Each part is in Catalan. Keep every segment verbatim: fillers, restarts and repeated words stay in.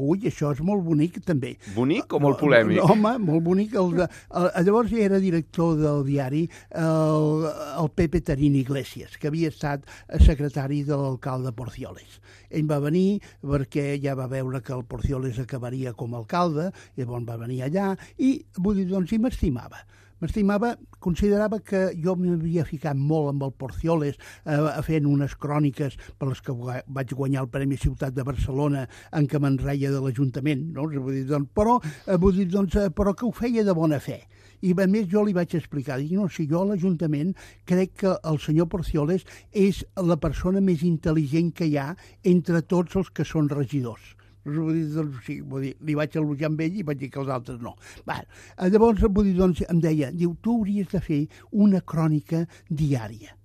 Ui, això és molt bonic, també. Bonic o molt polèmic? No, home, molt bonic. El, el, llavors ja era director del diari el, el Pepe Tarín Iglesias, que havia estat secretari de l'alcalde Porcioles. Ell va venir perquè ja va veure que el Porcioles acabaria com a alcalde, llavors va venir allà i, vull dir, doncs, i m'estimava. M'estimava, considerava que jo m'havia ficat molt amb el Porcioles eh, fent unes cròniques per les que vaig guanyar el Premi Ciutat de Barcelona en què me'n reia de l'Ajuntament, no? Vull dir, doncs, però, eh, vull dir, doncs, eh, però que ho feia de bona fe. I a més jo li vaig explicar, dic, no, si jo a l'Ajuntament crec que el senyor Porcioles és la persona més intel·ligent que hi ha entre tots els que són regidors. Vull dir, doncs, sí, vull dir, li vaig elogiar amb ell i vaig dir que els altres no. Va, llavors, vull dir, doncs, em deia, diu, tu hauries de fer una crònica diària.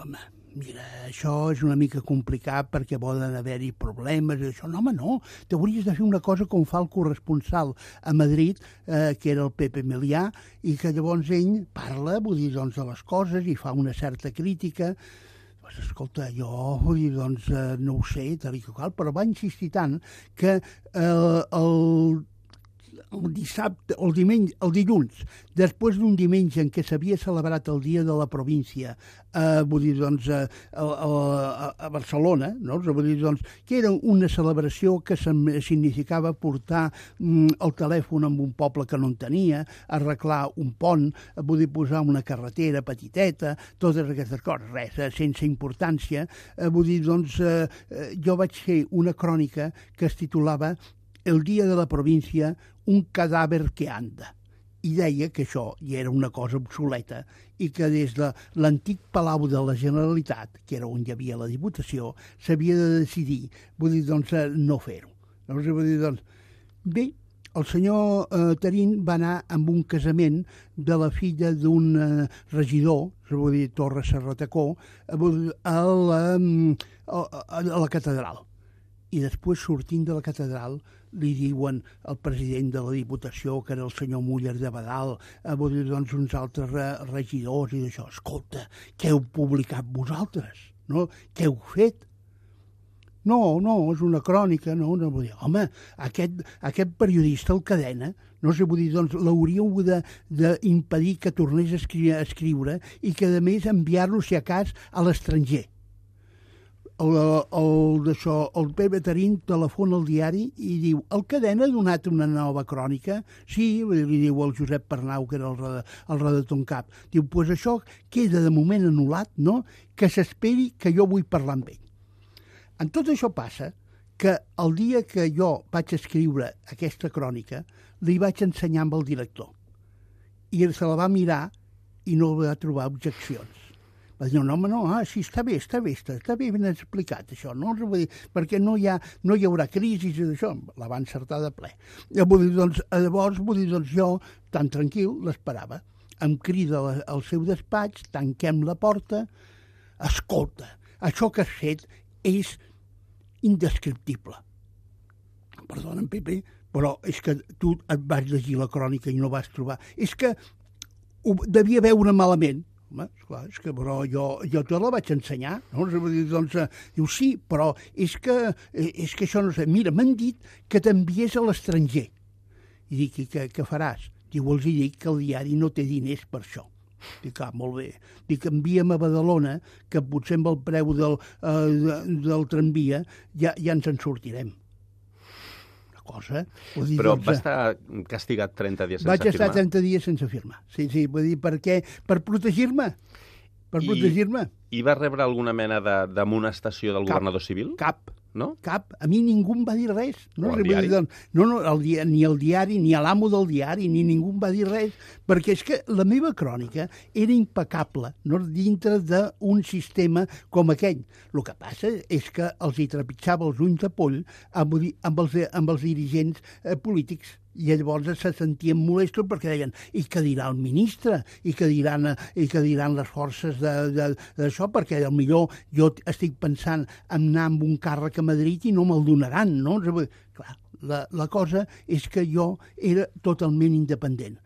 Home, mira, això és una mica complicat perquè poden haver-hi problemes i això. No, home, no, t'hauries de fer una cosa com fa el corresponsal a Madrid, eh, que era el Pepe Melià, i que llavors ell parla, vull dir, doncs, de les coses i fa una certa crítica. Pues, escolta, jo vull dir, doncs, eh, no ho sé, tal i qual, però va insistir tant que eh, el, el dissabte, el diumenge, el dilluns, després d'un diumenge en què s'havia celebrat el Dia de la Província, eh, vull dir, doncs, a, a, a Barcelona, no? Vull dir, doncs, que era una celebració que significava portar mm, el telèfon en un poble que no en tenia, arreglar un pont, vull dir, posar una carretera petiteta, totes aquestes coses, res, eh, sense importància. Eh, vull dir, doncs, eh, jo vaig fer una crònica que es titulava El dia de la província, un cadàver que anda. I deia que això ja era una cosa obsoleta i que des de l'antic Palau de la Generalitat, que era on hi havia la Diputació, s'havia de decidir, vull dir, doncs, no fer-ho. Llavors, vull dir, doncs, bé, el senyor eh, Tarín va anar amb un casament de la filla d'un eh, regidor, vull dir, Torres Serratacó, a la, a, a la catedral. I després, sortint de la catedral, li diuen al president de la Diputació, que era el senyor Muller de Badal, a dir, doncs, uns altres regidors i d'això. Escolta, què heu publicat vosaltres? No? Què heu fet? No, no, és una crònica, no, no vull dir, home, aquest, aquest periodista, el Cadena, no sé, vull dir, doncs l'hauríeu d'impedir que tornés a escriure, a escriure i que, a més, enviar-lo, si a cas, a l'estranger. El, el, això, el Pepe Tarín telefona al diari i diu, el Cadena ha donat una nova crònica? Sí, li diu el Josep Pernau, que era el, el redactor en cap. Diu, doncs pues això queda de moment anul·lat, no? Que s'esperi que jo vull parlar amb ell. En tot això passa que el dia que jo vaig escriure aquesta crònica, li vaig ensenyar amb el director. I se la va mirar i no va trobar objeccions. Va dir, no, home, no, ah, sí, està bé, està bé, està, està bé ben explicat, això, no? Vull dir, perquè no hi, ha, no hi haurà crisi d'això, la va encertar de ple. Vull dir, doncs, llavors, vull dir, doncs, jo, tan tranquil, l'esperava. Em crida al seu despatx, tanquem la porta, escolta, això que has fet és indescriptible. Perdona, Pepe, però és que tu et vas llegir la crònica i no vas trobar. És que ho devia veure malament. Home, esclar, és que però jo, jo te la vaig ensenyar, no? Doncs, eh, diu, sí, però és que, és que això no sé. Mira, m'han dit que t'enviés a l'estranger. I dic, i què, què faràs? Diu, els hi dic que el diari no té diners per això. Dic, ah, molt bé. Dic, envia'm a Badalona, que potser amb el preu del, eh, del tramvia ja, ja ens en sortirem. Cosa. Dir, Però doncs, va estar castigat trenta dies sense vaig firmar? Vaig estar trenta dies sense firmar. Sí, sí, vull dir, per què? Per protegir-me. Per I, protegir-me. I va rebre alguna mena d'amonestació del Cap, governador civil? Cap. No? Cap. A mi ningú em va dir res. No, o el diari? Dir, no, no el dia, ni el diari, ni l'amo del diari, ni ningú em va dir res, perquè és que la meva crònica era impecable, no, dintre d'un sistema com aquell. El que passa és que els hi trepitjava els ulls de poll amb, amb, els, amb els dirigents eh, polítics. I llavors se sentien molestos perquè deien, i què dirà el ministre? I què diran, i què diran les forces d'això? Perquè potser jo estic pensant en anar amb un càrrec a Madrid i no me'l donaran, no? Clar, la, la cosa és que jo era totalment independent.